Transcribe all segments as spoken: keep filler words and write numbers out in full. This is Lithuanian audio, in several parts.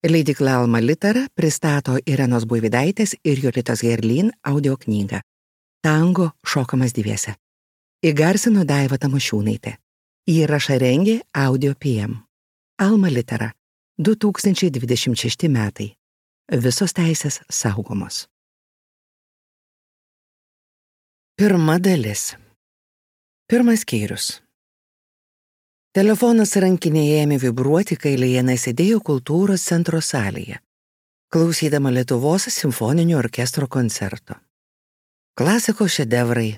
Leidykla Alma Litera pristato Irenos Buivydaitės ir Jolitos Herlin audio knygą Tango šokamas dviese. Įgarsino Daiva Tamošiūnaitė. Įrašą rengė Audio P M. Alma Litera. du tūkstančiai dvidešimt šešti metai. Visos teisės saugomos. Pirma dalis. Pirmas skyrius. Telefonas rankinėje ėmė vibruoti, kai Lijana sėdėjo kultūros centro salėje, klausydama Lietuvos simfoninio orkestro koncerto. Klasikos šedevrai,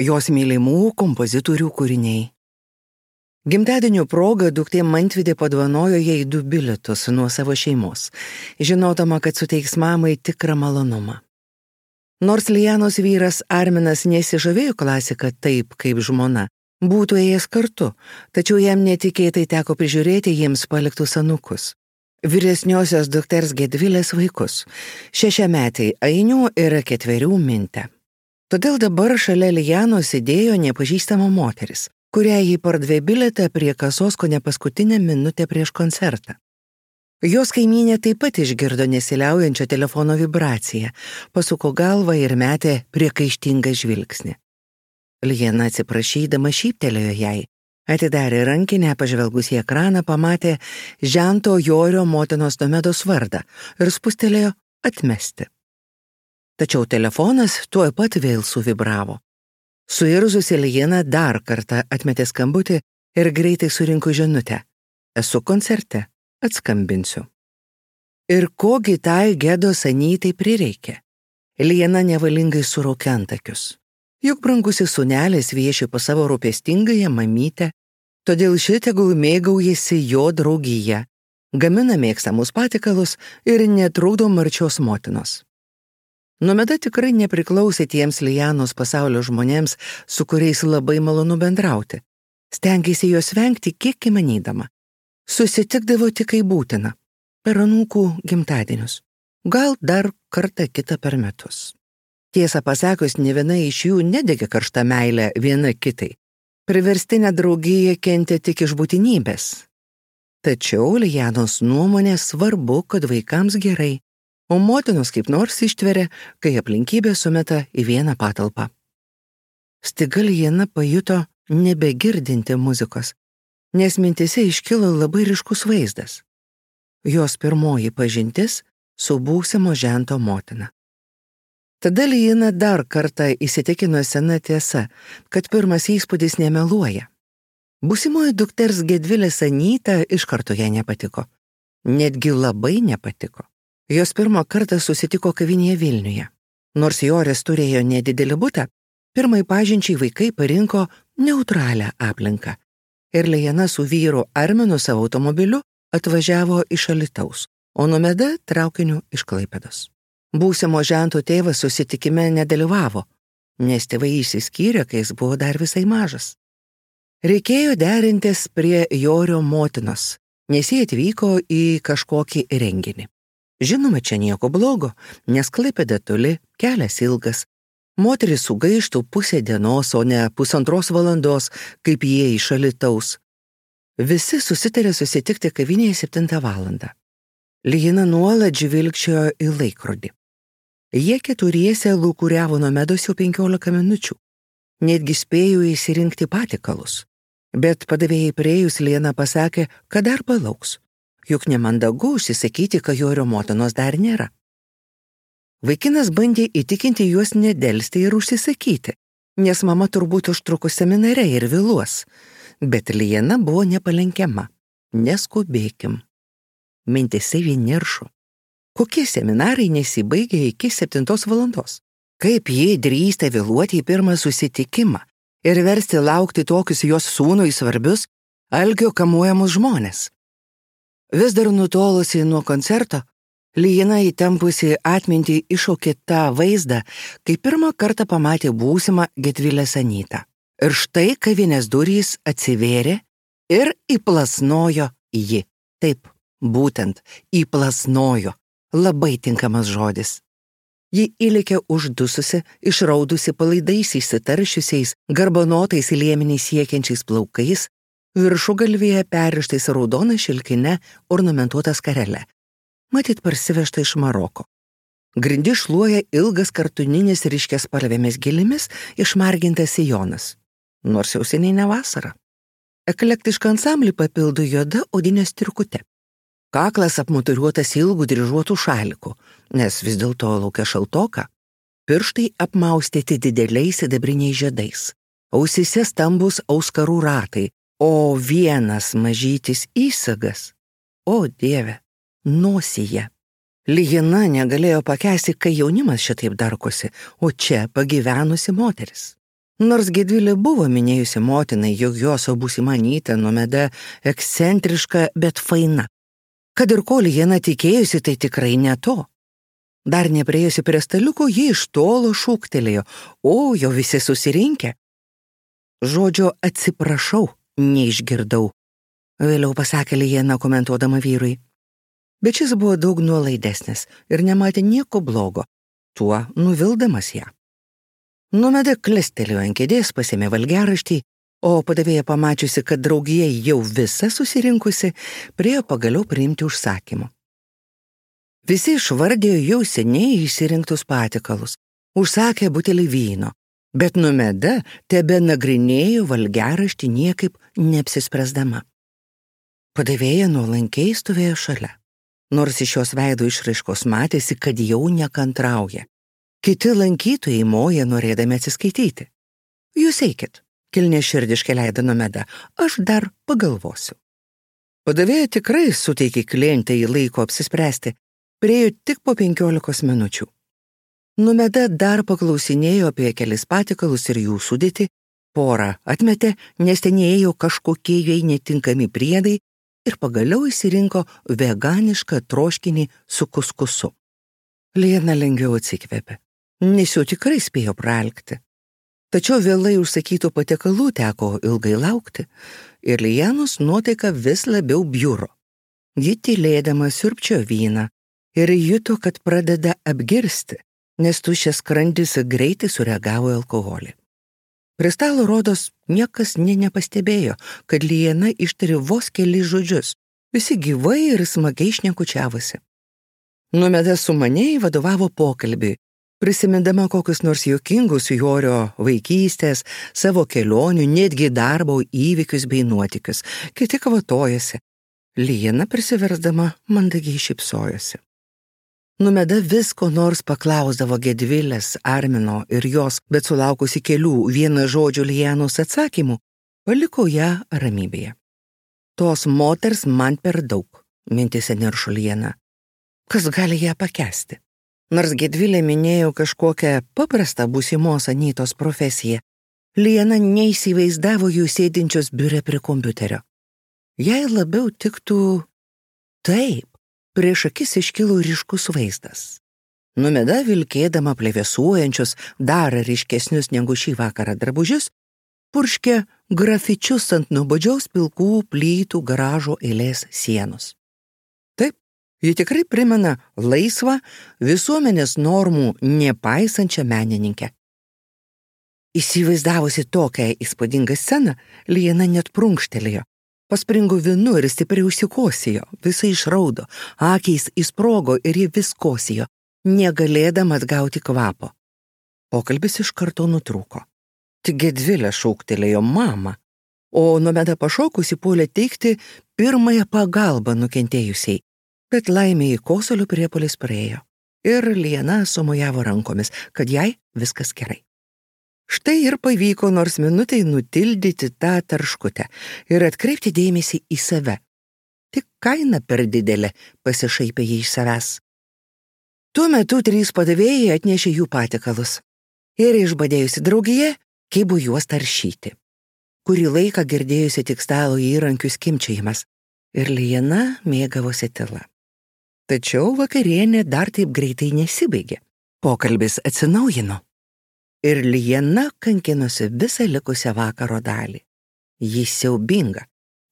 jos mylimų kompozitorių kūriniai. Gimtadienio proga duktė Mantvidė padovanojo jai du bilietus nuo savo šeimos, žinodama, kad suteiks mamai tikrą malonumą. Nors Lijanos vyras Arminas nesižavėjo klasiką taip, kaip žmona, būtų ėjęs kartu, tačiau jam netikėtai teko prižiūrėti jiems paliktus anūkus. Vyresniosios dukters Gedvilės vaikus, šešiametei Ainių ir ketverių Mintę. Todėl dabar šalia Lijanos sėdėjo nepažįstama moteris, kurią jį pardavė bilietą prie kasos kone paskutinę minutę prieš koncertą. Jos kaimynė taip pat išgirdo nesiliaujančią telefono vibraciją, pasuko galvą ir metė priekaištingą žvilgsnį. Lijana atsiprašydama šyptelėjo jai, atidarė rankinę, pažvelgus į ekraną, pamatė Žento Jorio motinos Nomedos vardą ir spustelėjo atmesti. Tačiau telefonas tuoj pat vėl suvibravo. Suirzusi Lijana dar kartą atmetė skambutį ir greitai surinko žinutę. Esu koncerte, atskambinsiu. Ir kogi tai Gedos Anytai prireikė? Lijana nevalingai suraukė antakius. Juk brangusis sūnelis vieši pas savo rūpestingąją mamytę, todėl ši tegul mėgaujasi jo draugyje, gamina mėgstamus patikalus ir netrukdo marčios motinos. Nomeda tikrai nepriklausė tiems Lijanos pasaulio žmonėms, su kuriais labai malonu bendrauti. Stengėsi jos vengti kiek įmanydama. Susitikdavo tik kai būtina, per anūkų gimtadienius, gal dar kartą kitą per metus. Tiesą pasakius, ne viena iš jų nedegė karštą meilę viena kitai. Priverstinė draugija kentė tik iš būtinybės. Tačiau Lijanos nuomonė svarbu, kad vaikams gerai, o motinos kaip nors ištveria, kai aplinkybė sumeta į vieną patalpą. Staiga Lijana pajuto nebegirdinti muzikos, nes mintise iškilo labai ryškus vaizdas. Jos pirmoji pažintis su būsimo Žento motina. Tada Lijana dar kartą įsitikino sena tiesa, kad pirmas įspūdis nemeluoja. Būsimoji dukters Gedvilės Anyta iš karto jai nepatiko. Netgi labai nepatiko. Jos pirmą kartą susitiko kavinėje Vilniuje. Nors Joris turėjo nedidelį butą, pirmai pažinčiai vaikai parinko neutralią aplinką. Ir Lijana su vyru Arminu savo automobiliu atvažiavo iš Alytaus, o Nomeda traukiniu iš Klaipėdos. Būsimo Žento tėvas susitikime nedalyvavo, nes tėvai išsiskyrė, kai jis buvo dar visai mažas. Reikėjo derintis prie Jorio motinos, nes jie atvyko į kažkokį renginį. Žinoma, čia nieko blogo, nes Klaipėda toli, kelias ilgas. Moteris sugaištų pusę dienos, o ne pusantros valandos, kaip jie iš Alytaus. Visi susitarė susitikti kavinėje septintą valandą. Lijana nuolat žvilgčiojo į laikrodį. Jie keturiese lūkuriavo Nomedos jau penkiolika minučių. Netgi spėjo įsirinkti patikalus. Bet padavėjai priėjus Lijana pasakė, kad dar palauks. Juk nemandagu užsisakyti, kad Jorio motinos dar nėra. Vaikinas bandė įtikinti juos nedelsti ir užsisakyti, nes mama turbūt užtrukus seminare ir vėluos. Bet Lijana buvo nepalenkiama. Neskubėkim. Mintise vien niršo. Kokie seminarai nesibaigia iki septintos valandos? Kaip jie drįsta vėluoti į pirmą susitikimą ir versti laukti tokius jos sūnui svarbius, algio kamuojamus žmonės? Vis dar nutolusi nuo koncerto, Lijana įtempusi atmintį iššaukė tą vaizdą, kai pirmą kartą pamatė būsimą Gedvilės Anytą. Ir štai kavinės durys atsivėrė ir įplasnojo ji. Taip, būtent įplasnojo. Labai tinkamas žodis. Ji įlėkė uždususi, išraudusi palaidais įsitaršiusiais, garbanotais liemeniais siekiančiais plaukais, viršugalvyje perrištais raudona šilkine ornamentuota skarele. matyt parsivežta iš Maroko. Grindi šluoja ilgas kartuninis ryškės spalvėmis gėlėmis išmargintas sijonas, nors jau seniai ne vasara. Eklektišką ansamblį papildo juoda odinė striukute. Kaklas apmuturiuotas ilgų dryžuotų šalikų, nes vis dėlto laukia šaltoka. Pirštai apmaustyti dideliais sidabriniais žiedais. Ausyse stambus auskarų ratai, o vienas mažytis įsagas. O Dieve, nosyje. Lijana negalėjo pakęsti, kai jaunimas šitaip darkosi, o čia pagyvenusi moteris. Nors Gedvilė buvo minėjusi motinai, jog jos būsima Anyta Nomeda ekscentriška, bet faina. Kad ir ko Lijana tikėjusi, tai tikrai ne to. Dar nepriejusi prie staliuko, ji iš tolo šūktelėjo, o jo visi susirinkę. Žodžio atsiprašau neišgirdau, vėliau pasakė Lijana komentuodama vyrui. Bet šis buvo daug nuolaidesnis ir nematė nieko blogo, tuo nuvildamas ją. Nomeda klestelėjo ant kėdės, pasėmė valgiaraštį, o padavėja pamačiusi, kad draugija jau visa susirinkusi, priėjo pagaliau priimti užsakymų. Visi išvardėjo jau seniai išsirinktus patikalus, užsakė butelį vyno, bet Nomeda tebe nagrinėjo valgiaraštį niekaip neapsispręsdama. Padavėja nuolankiai stovėjo šalia. Nors iš jos veido išraiškos matėsi, kad jau nekantrauja. Kiti lankytojai moja norėdami atsiskaityti. Jūs eikit, kilnė širdiškai leido Nomeda, aš dar pagalvosiu. Padavėja tikrai suteikė klientai laiko apsispręsti, priėjo tik po penkiolikos minučių. Nomeda dar paklausinėjo apie kelis patikalus ir jų sudėtį, porą atmetė, nes ten ėjo kažkokie jai netinkami priedai, ir pagaliau įsirinko veganišką troškinį su kuskusu. Lijana lengviau atsikvėpė, nes jau tikrai spėjo pralkti. Tačiau vėlai užsakytų patiekalų teko ilgai laukti ir Lijanos nuotaika vis labiau bjuro. Ji tylėdama siurbčiojo vyną ir juto, kad pradeda apgirsti, nes tuščias skrandis greitai sureagavo į alkoholį. Prie stalo rodos niekas nė nepastebėjo, kad Lijana ištarė vos kelis žodžius, visi gyvai ir smagiai šnekučiavosi. Nomeda sumaniai vadovavo pokalbiui, prisimindama kokius nors juokingus Jorio vaikystės, savo kelionių, netgi darbo įvykius bei nuotykius, kiti kvatojosi. Lijana prisiversdama mandagiai šypsojosi. Nomeda visko nors paklausdavo Gedvilės, Armino ir jos, bet sulaukusi kelių vieną žodžių Lijanos atsakymų, paliko ją ramybėje. Tos moters man per daug, mintise niršo Lijana. Kas gali ją pakęsti? Nors Gedvilė minėjo kažkokią paprastą būsimos Anytos profesiją, Lijana neįsivaizdavo jų sėdinčios biure prie kompiuterio. Jai labiau tiktų taip. Prieš akis iškilo ryškus vaizdas. Nomeda vilkėdama plevėsuojančius, dar ryškesnius negu šį vakarą drabužius, purškė grafičius ant nuobodžiaus pilkų plytų garažo eilės sienos. Taip, ji tikrai primena laisvą, visuomenės normų nepaisančią menininkę. Įsivaizdavusi tokią įspūdingą sceną, Lijana net prunkštelėjo. Paspringo vinu ir stipriai užsikosijo, visai išraudo, akiais įsprogo ir ji vis kosijo, negalėdama atgauti kvapo. Pokalbis iš karto nutrūko. Tik Gedvilė šauktelėjo mamą, o Nomeda pašokusi puolė teikti pirmąją pagalbą nukentėjusiai, bet laimėjai kosulio priepuolis praėjo ir Lijana sumojavo rankomis, kad jai viskas gerai. Štai ir pavyko nors minutei nutildyti tą tarškutę ir atkreipti dėmesį į save. Tik kaina per didelė, pasišaipė jį iš savęs. Tuo metu trys padavėjai atnešė jų patikalus ir išbadėjusi draugija kibo juos taršyti. Kurį laiką girdėjusi tik stalo įrankių skimbčiojimas ir Lijana mėgavosi tyla. Tačiau vakarienė dar taip greitai nesibaigė. Pokalbis atsinaujino. Ir Lijana kankinosi visą likusią vakaro dalį. Jis siaubinga,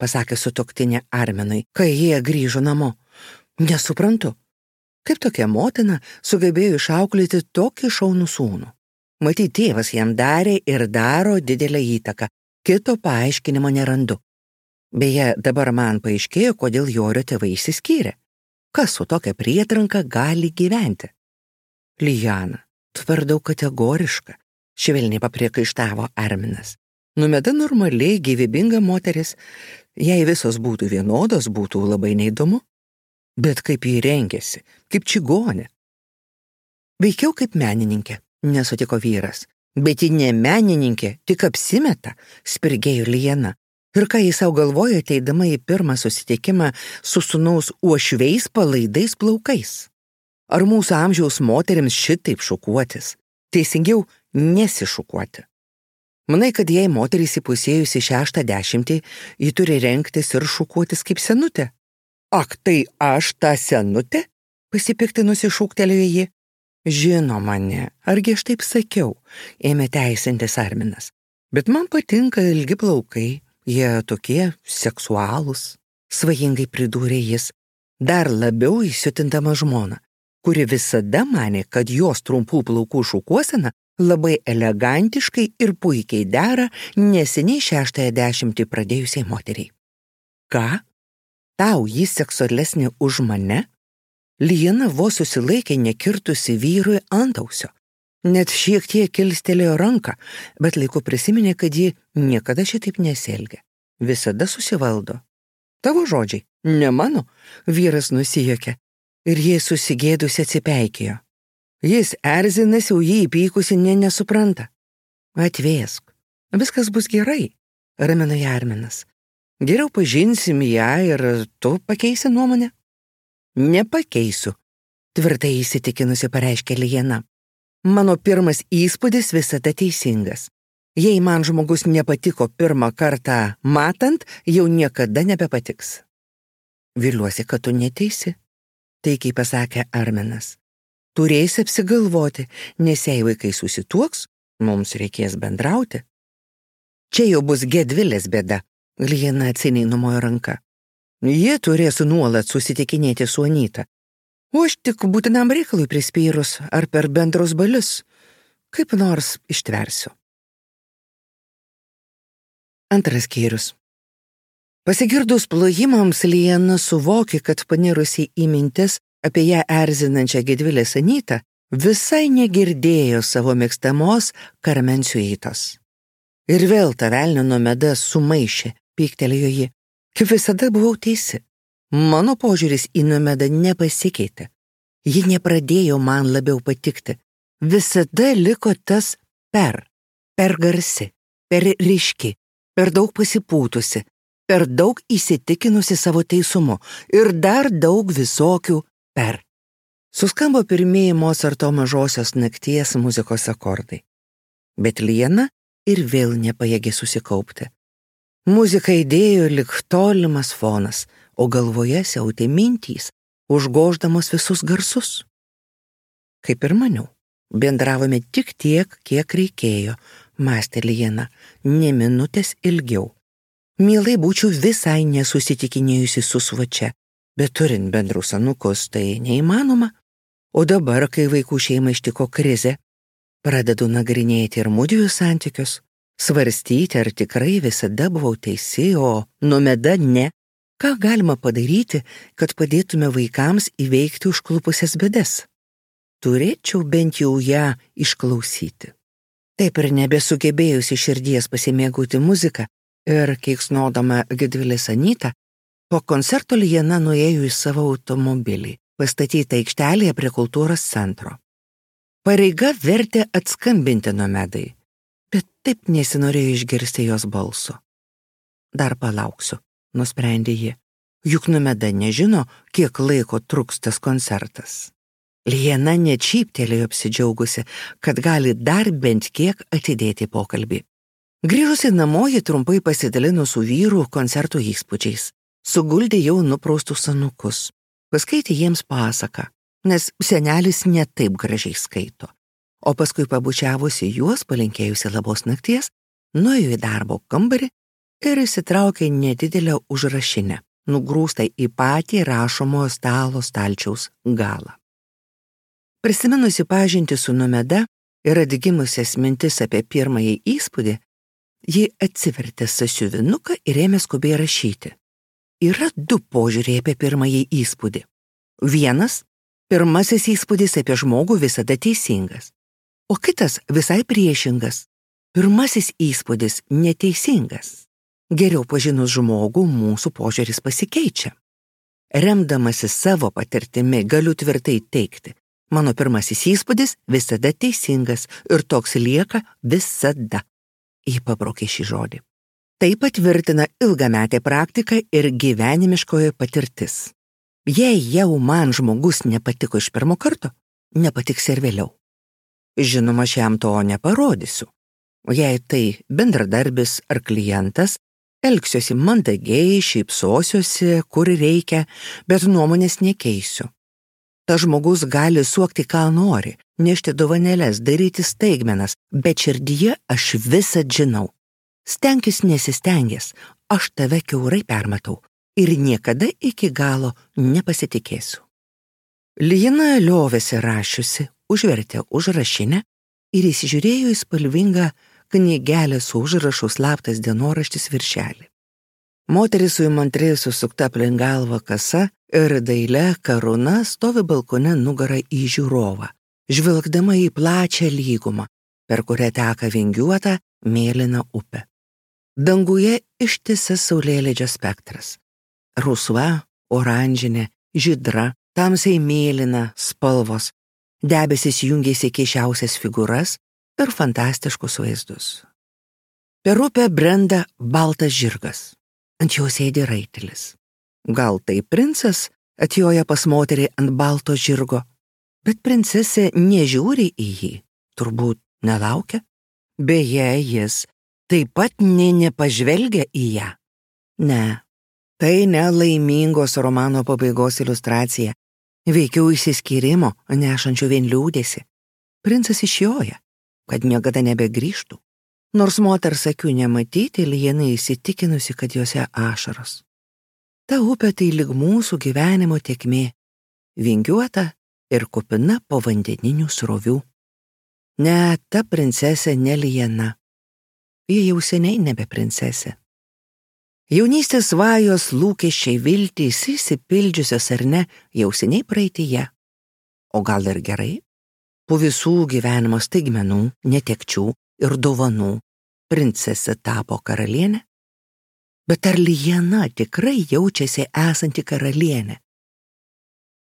pasakė sutuoktinė Arminui, kai jie grįžo namo. Nesuprantu, kaip tokia motina sugebėjo išauklėti tokį šaunų sūnų. Matyt, tėvas jam darė ir daro didelę įtaką, kito paaiškinimo nerandu. Beje, dabar man paaiškėjo, kodėl Jorio tėvai išsiskyrė. Kas su tokia prietranka gali gyventi? Lijana, tu per daug kategoriška, švelniai papriekaištavo Arminas. Nomeda normaliai gyvybinga moteris, jei visos būtų vienodos, būtų labai neįdomu. Bet kaip jį rengėsi, kaip čigonė. Veikiau kaip menininkė, nesutiko vyras. Bet ji ne menininkė, tik apsimeta, spirgėjo Lijana. Ir ką jis savo galvojo, ateidama į pirmą susitikimą su sūnaus uošviais palaidais plaukais. Ar mūsų amžiaus moterims šitaip šukuotis? Teisingiau, nesišukuoti. Manai, kad jei moteris įpusėjusi šeštą dešimtį, ji turi rengtis ir šukuotis kaip senutė? Ak, tai aš ta senutė? Pasipiktinusi šūktelėjo ji. Žinoma, ne, argi aš taip sakiau, ėmė teisintis Arminas. Bet man patinka ilgi plaukai, jie tokie seksualūs, svajingai pridūrė jis, dar labiau įsiutindama žmoną, kuri visada manė, kad jos trumpų plaukų šukuosena labai elegantiškai ir puikiai dera neseniai šeštąją dešimtį pradėjusiai moteriai. Ką? Tau jis seksualesnė už mane? Lijana vos susilaikė nekirtusi vyrui antausio. Net šiek tiek kilstelėjo ranką, bet laiku prisiminė, kad ji niekada šitaip nesielgia. Visada susivaldo. Tavo žodžiai, ne mano, vyras nusijuokė ir jie susigėdusi atsipeikėjo. Jis erzinasi, o jį įpykusi nė nesupranta. Atvėsk, viskas bus gerai, ramino ją Arminas. Geriau pažinsim ją ir tu pakeisi nuomonę? Nepakeisiu, tvirtai įsitikinusi pareiškė Lijana. Mano pirmas įspūdis visada teisingas. Jei man žmogus nepatiko pirmą kartą matant, jau niekada nebepatiks. Viliuosi, kad tu neteisi, taikiai pasakė Arminas. Turėsi apsigalvoti, nes jei vaikai susituoks, mums reikės bendrauti. Čia jau bus Gedvilės bėda, Lijana atsiniai numojo ranka. Jie turės nuolat susitikinėti su Anyta. O aš tik būtinam reikalui prispyrus ar per bendrus balius, kaip nors ištversiu. Antras skyrius. Pasigirdus plojimams, Lijana suvokė, kad panirusi į mintis apie ją erzinančią Gedvilės Anytą, visai negirdėjo savo mėgstamos Karmensiuitos. Ir vėl ta velnio Nomeda sumaišė, pyktelėjo ji. Kaip visada buvau teisi. Mano požiūris į Nomedą nepasikeitė. Ji nepradėjo man labiau patikti. Visada liko tas per, per garsi, per ryški, per daug pasipūtusi, per daug įsitikinusi savo teisumu ir dar daug visokių per. Suskambo pirmieji Mozarto mažosios nakties muzikos akordai. Bet Lijana ir vėl nepajėgė susikaupti. Muzika įdėjo lik tolimas fonas, o galvoje siautė mintys, užgoždamos visus garsus. Kaip ir maniau, bendravome tik tiek, kiek reikėjo, mąstė Lijana, ne minutės ilgiau. Mielai būčiau visai nesusitikinėjusi su Svačia, bet turint bendrus anūkus tai neįmanoma. O dabar, kai vaikų šeima ištiko krizė, pradedu nagrinėti ir mudviejų santykius, svarstyti, ar tikrai visada buvau teisi, o Nomeda ne. Ką galima padaryti, kad padėtume vaikams įveikti užklupusias bėdas? Turėčiau bent jau ją išklausyti. Taip ir nebesugebėjusi širdies pasimėgauti muziką ir keiksnodama Gedvilės Anytą, po koncerto Lijana nuėjo į savo automobilį, pastatytą aikštelėje prie kultūros centro. Pareiga vertė atskambinti Nomedai, bet taip nesinorėjo išgirsti jos balso. Dar palauksiu, nusprendė ji, juk Nomeda nežino, kiek laiko truks tas koncertas. Lijana net šyptelėjo apsidžiaugusi, kad gali dar bent kiek atidėti pokalbį. Grįžusi namo, ji trumpai pasidalino su vyru koncertų įspūdžiais. Suguldė jau nupraustus anūkus. Paskaitė jiems pasaką, nes senelis ne taip gražiai skaito. O paskui pabučiavusi juos, palinkėjusi labos nakties, nuėjo į darbo kambarį ir įsitraukė nedidelę užrašinę, nugrūstą į patį rašomojo stalo stalčiaus galą. Prisiminusi pažintį su Nomeda ir atgimusias mintis apie pirmąjį įspūdį, ji atsivertė sąsiuvinuką ir ėmė skubiai rašyti. Yra du požiūriai apie pirmąjį įspūdį. Vienas – pirmasis įspūdis apie žmogų visada teisingas, o kitas visai priešingas. Pirmasis įspūdis neteisingas. Geriau pažinus žmogų, mūsų požiūris pasikeičia. Remdamasis savo patirtimi galiu tvirtai teikti, mano pirmasis įspūdis visada teisingas ir toks lieka visada. Ji pabraukė šį žodį. Tai patvirtina ilgametė praktika ir gyvenimiškoji patirtis. Jei jau man žmogus nepatiko iš pirmo karto, nepatiks ir vėliau. Žinoma, aš jam to neparodysiu. Jei tai bendradarbis ar klientas, elgsiuosi mandagiai, šypsosiuosi, kur reikia, bet nuomonės nekeisiu. Ta žmogus gali suokti, ką nori, nešti dovanėles, daryti staigmenas, bet širdyje aš visad žinau. Stenkis nesistengęs, aš tave kiaurai permatau ir niekada iki galo nepasitikėsiu. Lijana liovėsi rašiusi, užvertė užrašinę ir įsižiūrėjo į spalvingą knygelę su užrašu slaptas dienoraštis viršelį. Moteris su įmantriai susukta aplink galvą kasa ir daile karūna stovi balkone nugarą į žiūrovą, žvilgdama į plačią lygumą, per kurią teka vingiuota mėlyna upė. Danguje ištisas saulėlydžio spektras. Rusva, oranžinė, žydra, tamsiai mėlyna spalvos, debesis jungėsi keisčiausias figūras ir fantastiškus vaizdus. Per upę brenda baltas žirgas. Ant jo sėdi raitelis. Gal tai princas atjoja pas moterį ant balto žirgo, bet princesė nežiūri į jį, turbūt nelaukia. Beje, jis taip pat nė nepažvelgia į ją. Ne, tai ne laimingos romano pabaigos iliustracija, veikiau išsiskyrimo, nešančio vien liūdėsi. Princas išjoja, kad niekada nebegrįžtų. Nors moters akių nematyti, Lijana įsitikinusi, kad jose ašaros. Ta upė tai lyg mūsų gyvenimo tėkmė, vingiuota ir kupina povandeninių srovių. Ne, ta princesė ne Lijana. Ji jau seniai nebe princesė. Jaunystės svajos, lūkesčiai, viltys, išsipildžiusios ar ne, jau seniai praeityje. O gal ir gerai? Po visų gyvenimo staigmenų, netekčių ir dovanų princesė tapo karalienė? Bet ar Lijana tikrai jaučiasi esanti karalienė?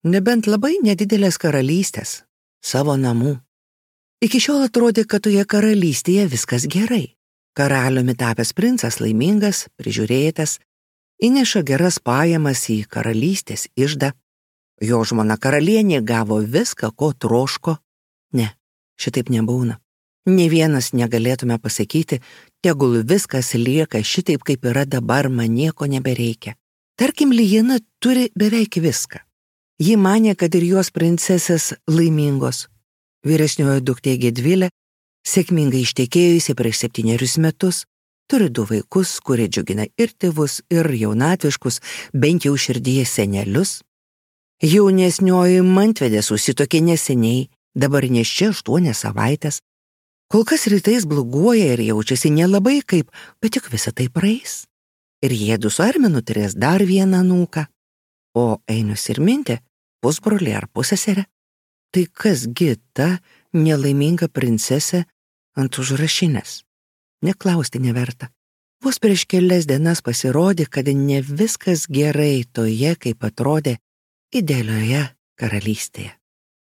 Nebent labai nedidelės karalystės, savo namų. Iki šiol atrodė, kad toje karalystėje viskas gerai. Karaliumi tapęs princas laimingas, prižiūrėtas, įneša geras pajamas į karalystės iždą. Jo žmona karalienė gavo viską, ko troško. Ne, šitaip nebūna. Nė vienas negalėtume pasakyti, tegul viskas lieka šitaip, kaip yra dabar, man nieko nebereikia. Tarkim, Lijana turi beveik viską. Ji manė, kad ir jos princesės laimingos. Vyresnioji duktė Gedvilė, sėkmingai ištekėjusi prieš septynerius metus, turi du vaikus, kurie džiugina ir tėvus, ir jaunatviškus, bent jau širdyje senelius. Jaunesnioji Mantvedė susituokė neseniai, dabar neščia aštuonias savaitės. Kol kas rytais bloguoja ir jaučiasi nelabai kaip, bet juk visa tai praeis. Ir jiedu su Arminu turės dar vieną anūką. O Einius ir Mintė, pusbrolį ar pusseserę. Tai kasgi ta nelaiminga princesė ant užrašinės? Neklausti neverta. Vos prieš kelias dienas pasirodė, kad ne viskas gerai toje, kaip atrodė idealioje karalystėje.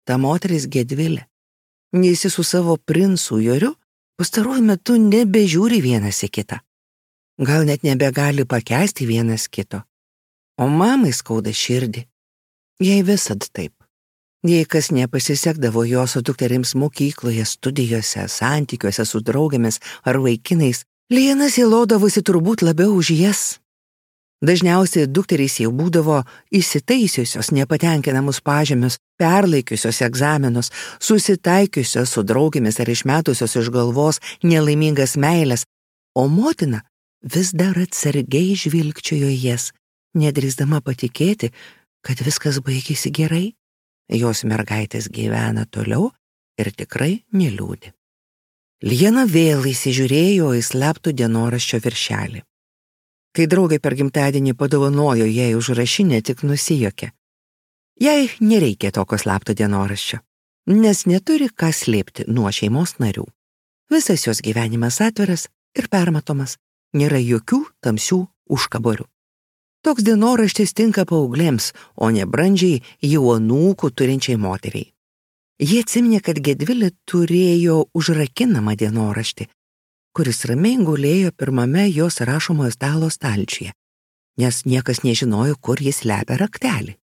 Ta moteris Gedvilė. Jis su savo princu Joriu pastaruoju metu nebežiūri vienas į kitą. Gal net nebegali pakęsti vienas kito. O mamai skauda širdį. Jai visad taip. Jei kas nepasisekdavo jos su dukterims mokykloje, studijose, santykiuose su draugėmis ar vaikinais, Lijana sielodavosi turbūt labiau už jas. Dažniausiai dukterys jau būdavo įsitaisiusios nepatenkinamus pažymius, perlaikiusios egzaminus, susitaikiusios su draugėmis ar išmetusios iš galvos nelaimingas meilės, o motina vis dar atsargiai žvilgčiojo jas, nedrįsdama patikėti, kad viskas baigėsi gerai. Jos mergaitės gyvena toliau ir tikrai neliūdi. Lijana vėl įsižiūrėjo į slaptų dienoraščio viršelį. Kai draugai per gimtadienį padovanojo jai užrašinę, tik nusijuokė. Jai nereikia tokio slapto dienoraščio, nes neturi ką slėpti nuo šeimos narių. Visas jos gyvenimas atviras ir permatomas, nėra jokių tamsių užkaborių. Toks dienoraštis tinka paauglėms, o ne brandžiai jau anūkų turinčiai moteriai. Jie atsiminė, kad Gedvilė turėjo užrakinamą dienoraštį, kuris ramiai gulėjo pirmame jos rašomojo stalo stalčiuje, nes niekas nežinojo, kur jis slepia raktelį.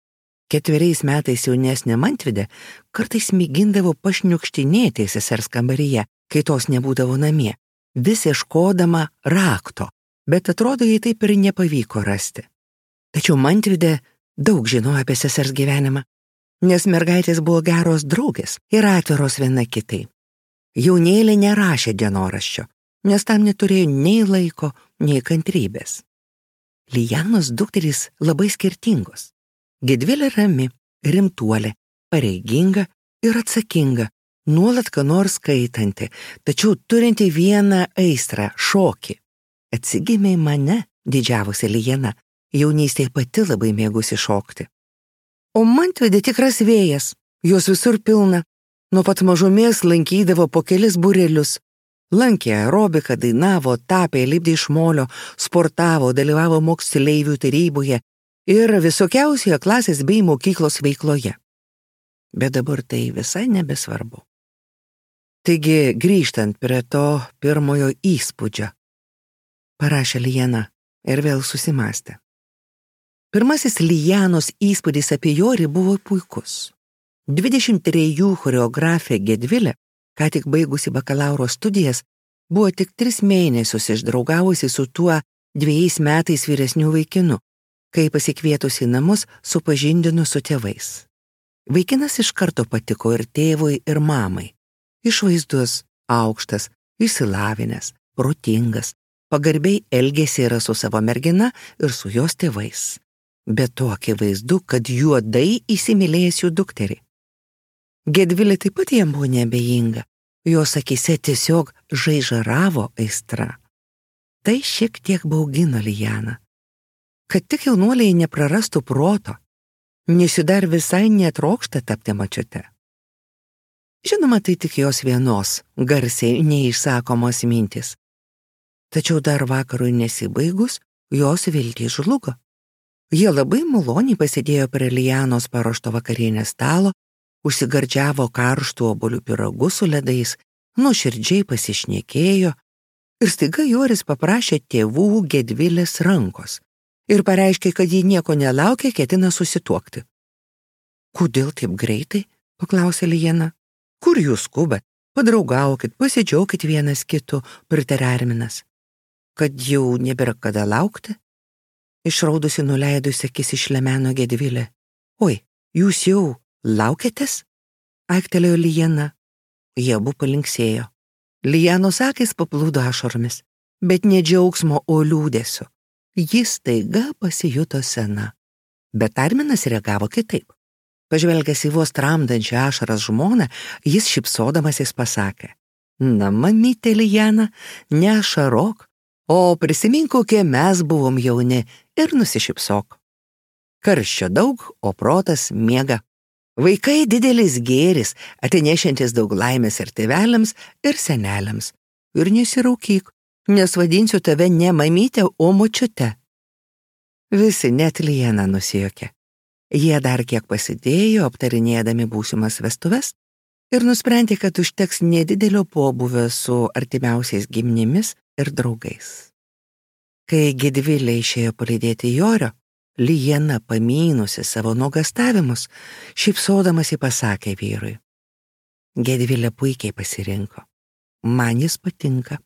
Ketveriais metais jaunesnė Mantvidė kartais mėgindavo pašniukštinėti sesers kambaryje, kai tos nebūdavo namie, vis ieškodama rakto, bet atrodo, jai taip ir nepavyko rasti. Tačiau Mantvidė daug žinojo apie sesers gyvenimą, nes mergaitės buvo geros draugės ir atviros viena kitai. Jaunėlė nerašė dienoraščio, nes tam neturėjo nei laiko, nei kantrybės. Lijanos dukterys labai skirtingos. Gedvilė rami, rimtuolė, pareiginga ir atsakinga, nuolat ką nors skaitanti, tačiau turinti vieną aistrą – šokį. Atsigimė į mane, didžiavosi Lijana, jaunystėje pati labai mėgusi šokti. O Mantvidė tikras vėjas, jos visur pilna, nuo pat mažumės lankydavo po kelis būrelius. Lankė aerobiką, dainavo, tapė, lipdė iš molio, sportavo, dalyvavo moksleivių taryboje ir visokiausioje klasės bei mokyklos veikloje. Bet dabar tai visai nebesvarbu. Taigi, grįžtant prie to pirmojo įspūdžio, parašė Lijana ir vėl susimastė. Pirmasis Lijanos įspūdis apie Jorį buvo puikus. dvidešimt trejų choreografė Gedvilė, ką tik baigusi bakalauro studijas, buvo tik tris mėnesius išdraugavusi su tuo dviejais metais vyresniu vaikinu, kai pasikvietusi į namus supažindino su tėvais. Vaikinas iš karto patiko ir tėvui, ir mamai. Išvaizdus, aukštas, išsilavinęs, protingas, pagarbiai elgėsi yra su savo mergina ir su jos tėvais. Bet to akivaizdu, kad juodai įsimylėjęs jų dukterį. Gedvilė taip pat jam buvo neabejinga, jos akyse tiesiog žaižaravo aistra. Tai šiek tiek baugino Lijaną. Kad tik jaunuoliai neprarastų proto, nes jų dar visai netrokšta tapti močiute. Žinoma, tai tik jos vienos, garsiai neišsakomos mintys. Tačiau dar vakarui nesibaigus, jos viltys žlugo. Jie labai maloniai pasėdėjo prie Lijanos paruošto vakarienės stalo, užsigardžiavo karštų obuolių pyragų su ledais, nuoširdžiai pasišnekėjo ir staiga Joris paprašė tėvų Gedvilės rankos ir pareiškė, kad ji nieko nelaukia, ketina susituokti. Kodėl taip greitai? Paklausė Lijana. Kur jūs skubat? Padraugaukit, pasidžiaukit vienas kitu, pritarė Arminas. Kad jau nebėra kada laukti? Išraudusi nuleidusi akis išlemeno Gedvilė. Oi, jūs jau laukiatės? Aiktelėjo Lijana. Jie abu palinksėjo. Lijanos akys paplūdo ašaromis, bet ne džiaugsmo, o liūdesio. Jis staiga pasijuto sena. Bet Arminas reagavo kitaip. Pažvelgęs į vos tramdančią ašaras žmoną, jis šypsodamasis pasakė: Na, mamytė Lijana, neašarok, o prisimink, kokie mes buvom jauni ir nusišypsok. Karščio daug, o protas miega. Vaikai didelis gėris, atenešiantis daug laimės ir tėveliams, ir seneliams. Ir nesiraukyk, nes vadinsiu tave ne mamytę, o močiute. Visi, net Lijana, nusijuokė. Jie dar kiek pasidėjo, aptarinėdami būsimas vestuves, ir nusprendė, kad užteks nedidelio pobūvio su artimiausiais giminėmis ir draugais. Kai Gedvilė išėjo palydėti Jorio, Lijana, pamynusi savo nuogastavimus, šypsodamasi pasakė vyrui: Gedvilė puikiai pasirinko. Man jis patinka.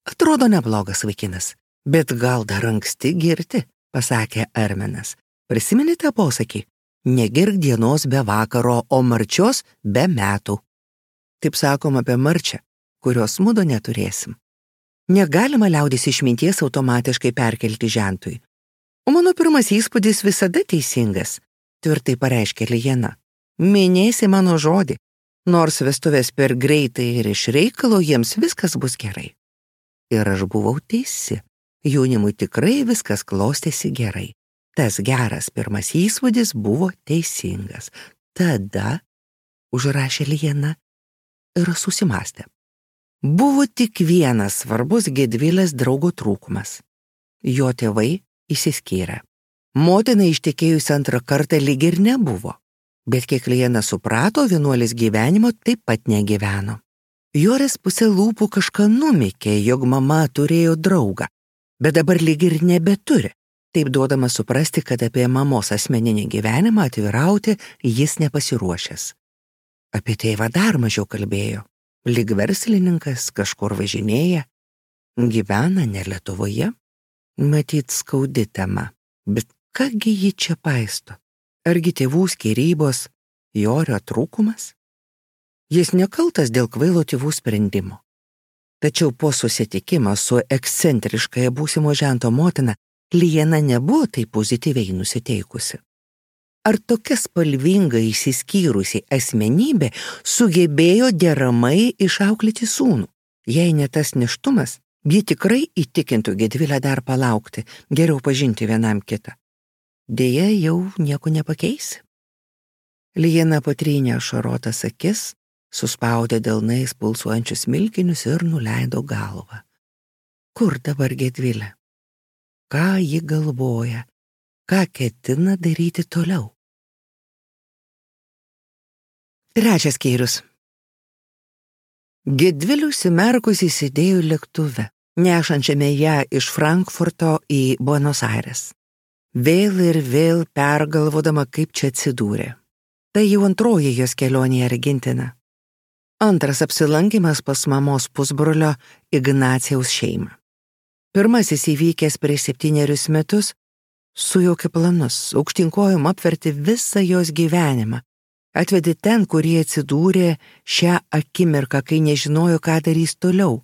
Atrodo neblogas vaikinas, bet gal dar anksti girti, pasakė Arminas. Prisiminite posakį? Negirk dienos be vakaro, o marčios be metų. Taip sakom apie marčią, kurios mudo neturėsim. Negalima liaudis išminties automatiškai perkelti žentui. O mano pirmas įspūdis visada teisingas, tvirtai pareiškė Lijana. Minėsi mano žodį, nors vestuvės per greitai ir iš reikalo jiems viskas bus gerai. Ir aš buvau teisi, jaunimui tikrai viskas klostėsi gerai. Tas geras pirmas įspūdis buvo teisingas. Tada, užrašė Liena ir susimastė. Buvo tik vienas svarbus Gedvilės draugo trūkumas. Jo tėvai išsiskyrė. Motina ištekėjusi antrą kartą lyg ir nebuvo, bet kiek Liena suprato, vienuolis gyvenimo taip pat negyveno. Joris pusė lūpų kažką numykė, jog mama turėjo draugą, bet dabar lyg ir nebeturi, taip duodama suprasti, kad apie mamos asmeninį gyvenimą atvirauti jis nepasiruošęs. Apie tėvą dar mažiau kalbėjo, lyg verslininkas kažkur važinėja, gyvena ne Lietuvoje, matyt skaudi tema, bet kągi ji čia paisto, argi tėvų skyrybos, Jorio trūkumas? Jis nekaltas dėl kvailo tėvų sprendimo. Tačiau po susitikimo su ekscentriškąja būsimo žento motina, Liena nebuvo taip pozityviai nusiteikusi. Ar tokia spalvinga išsiskyrusi asmenybė sugebėjo deramai išauklėti sūnų? Jei ne tas nėštumas, ji tikrai įtikintų Gedvilę dar palaukti, geriau pažinti vienam kitą. Deja, jau nieko nepakeisi. Liena patrynė ašarotas akis, suspaudė delnais pulsuojančius milkinius ir nuleido galvą. Kur dabar Gedvilė? Ką ji galvoja? Ką ketina daryti toliau? Trečias skyrius. Gedvilė užsimerkusi sėdėjo lėktuve, nešančiame ją iš Frankfurto į Buenos Aires. Vėl ir vėl pergalvodama, kaip čia atsidūrė. Tai jau antroji jos kelionė į Argentiną. Antras apsilankymas pas mamos pusbrolio Ignacijaus šeimą. Pirmasis įvykęs prieš septynerius metus sujaukė planus, aukštinkojom apverti visą jos gyvenimą, atvedė ten, kur jie atsidūrė šią akimirką, kai nežinojo, ką darys toliau,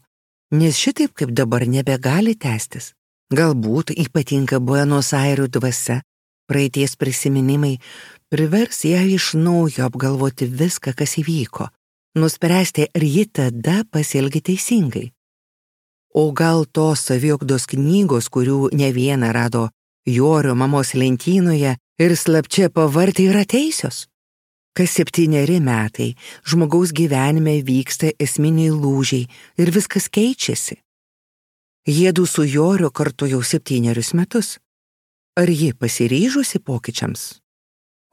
nes šitaip kaip dabar nebegali tęstis. Galbūt ypatinga Buenos Airių dvasia, praeities prisiminimai, privers ją iš naujo apgalvoti viską, kas įvyko, nuspręsti, ar ji tada pasielgė teisingai. O gal tos saviugdos knygos, kurių ne vieną rado Jorio mamos lentynoje ir slapčia pavartė, yra teisios? Kas septyneri metai žmogaus gyvenime vyksta esminiai lūžiai ir viskas keičiasi. Jiedu su Joriu kartu jau septynerius metus. Ar ji pasiryžusi pokyčiams?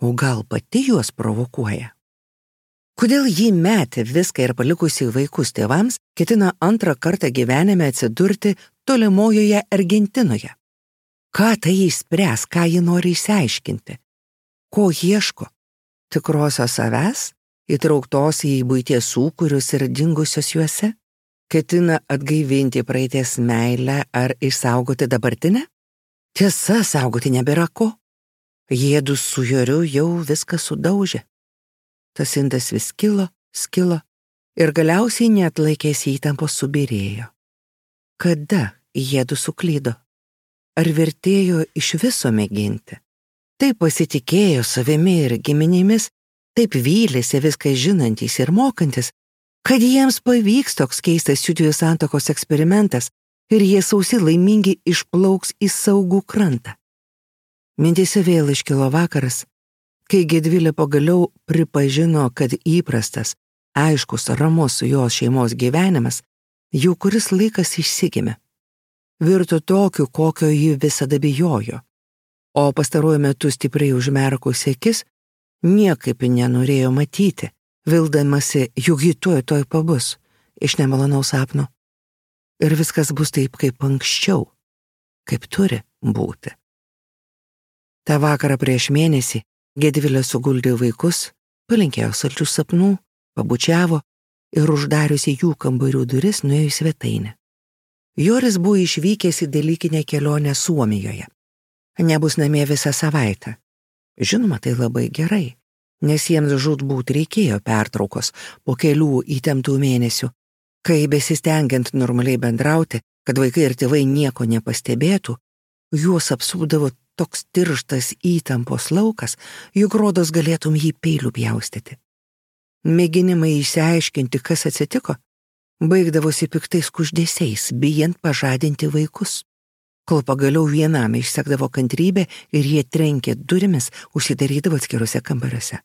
O gal pati juos provokuoja? Kodėl ji metė viską ir palikusi vaikus tėvams, ketina antrą kartą gyvenime atsidurti tolimojoje Argentinoje? Ką tai išspręs, ką ji nori išsiaiškinti? Ko ieško? Tikrosios savęs, įtrauktos į buities sūkurius ir dingusios juose? Ketina atgaivinti praeities meilę ar išsaugoti dabartinę? Tiesa, saugoti nebėra ko. Jiedu su Joriu jau viską sudaužė. Tas indas vis skilo, skilo ir galiausiai neatlaikęs įtampos subyrėjo. Kada jiedu suklydo? Ar vertėjo iš viso mėginti? Taip pasitikėjo savimi ir giminėmis, taip vylėsi viską žinantys ir mokantis, kad jiems pavyks toks keistas jųdviejų santuokos eksperimentas ir jie sausi laimingi išplauks į saugų krantą. Mintyse vėl iškilo vakaras, kai Gedvilė pagaliau pripažino, kad įprastas, aiškus, ramus su jos šeimos gyvenimas jau kuris laikas išsigimė. Virto tokiu, kokio ji visada bijojo, o pastaruoju metu stipriai užmerkusi akis niekaip nenorėjo matyti, vildamasi, juk ji tuoj tuoj pabus iš nemalonaus sapno. Ir viskas bus taip, kaip anksčiau, kaip turi būti. Ta vakarą prieš mėnesį Gedvilė suguldė vaikus, palinkėjo saldžių sapnų, pabučiavo ir uždariusi jų kambarių duris nuėjo į svetainę. Joris buvo išvykęs į dalykinę kelionę Suomijoje. Nebus namie visą savaitę. Žinoma, tai labai gerai, nes jiems žūtbūt reikėjo pertraukos po kelių įtemptų mėnesių, kai besistengiant normaliai bendrauti, kad vaikai ir tėvai nieko nepastebėtų, juos apsupdavo toks tirštas įtampos laukas, juk rodos galėtum jį peiliu pjaustyti. Mėginimai išsiaiškinti, kas atsitiko, baigdavosi piktais kuždesiais, bijant pažadinti vaikus. kol pagaliau vienam išsekdavo kantrybė ir jie trenkė durimis, užsidarydavo atskiruose kambariuose.